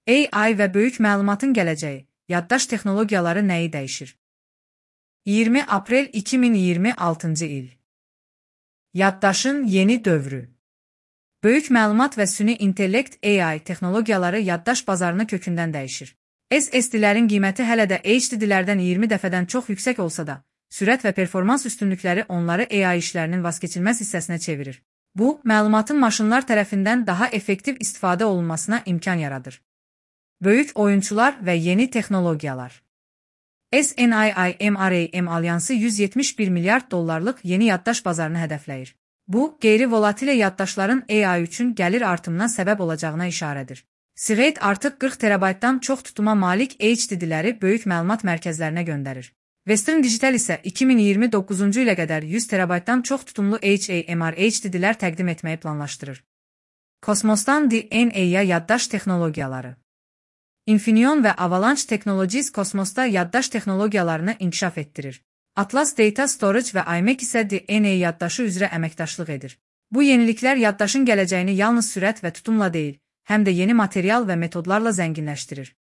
AI və böyük məlumatın gələcəyi, yaddaş texnologiyaları nəyi dəyişir? 20 aprel 2026-cı il. Yaddaşın yeni dövrü. Böyük məlumat və süni intellekt AI texnologiyaları yaddaş bazarını kökündən dəyişir. SSD-lərin qiyməti hələ də HDD-lərdən 20 dəfədən çox yüksək olsa da, sürət və performans üstünlükləri onları AI işlərinin vazkeçilməz hissəsinə çevirir. Bu, məlumatın maşınlar tərəfindən daha effektiv istifadə olunmasına imkan yaradır. Böyük oyunçular və yeni texnologiyalar. SNIIMRAM alyansı 171 milyard dollarlıq yeni yaddaş bazarını hədəfləyir. Bu, qeyri-volatilə yaddaşların AI üçün gəlir artımına səbəb olacağına işarədir. Seagate artıq 40 terabaytdan çox tutuma malik HDD-ləri böyük məlumat mərkəzlərinə göndərir. Western Digital isə 2029-cu ilə qədər 100 terabaytdan çox tutumlu HAMR HDD-lər təqdim etməyi planlaşdırır. Kosmosdan DNA-ya yaddaş texnologiyaları. Infineon və Avalanche Technologies kosmosda yaddaş texnologiyalarını inkişaf etdirir. Atlas Data Storage və IMEC isə DNA yaddaşı üzrə əməkdaşlıq edir. Bu yeniliklər yaddaşın gələcəyini yalnız sürət və tutumla deyil, həm də yeni material və metodlarla zənginləşdirir.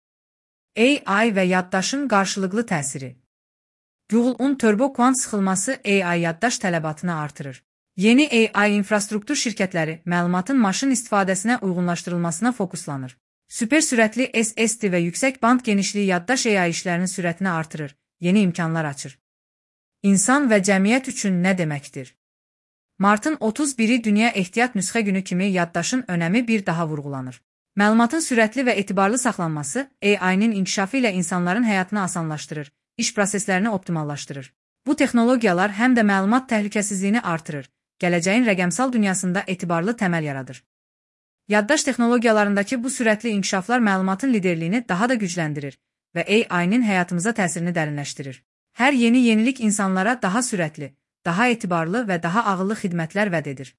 AI və yaddaşın qarşılıqlı təsiri. Google-un turbo kvant sıxılması AI yaddaş tələbatını artırır. Yeni AI infrastruktur şirkətləri məlumatın maşın istifadəsinə uyğunlaşdırılmasına fokuslanır. Süper sürətli SSD və yüksək band genişliyi yaddaş AI işlərinin sürətini artırır, yeni imkanlar açır. İnsan və cəmiyyət üçün nə deməkdir? Martın 31-i Dünya Ehtiyat Nüsxə Günü kimi yaddaşın önəmi bir daha vurğulanır. Məlumatın sürətli və etibarlı saxlanması AI-nin inkişafı ilə insanların həyatını asanlaşdırır, iş proseslərini optimallaşdırır. Bu texnologiyalar həm də məlumat təhlükəsizliyini artırır, gələcəyin rəqəmsal dünyasında etibarlı təməl yaradır. Yaddaş texnologiyalarındakı bu sürətli inkişaflar məlumatın liderliyini daha da gücləndirir və AI-nin həyatımıza təsirini dərinləşdirir. Hər yeni yenilik insanlara daha sürətli, daha etibarlı və daha ağıllı xidmətlər vəd edir.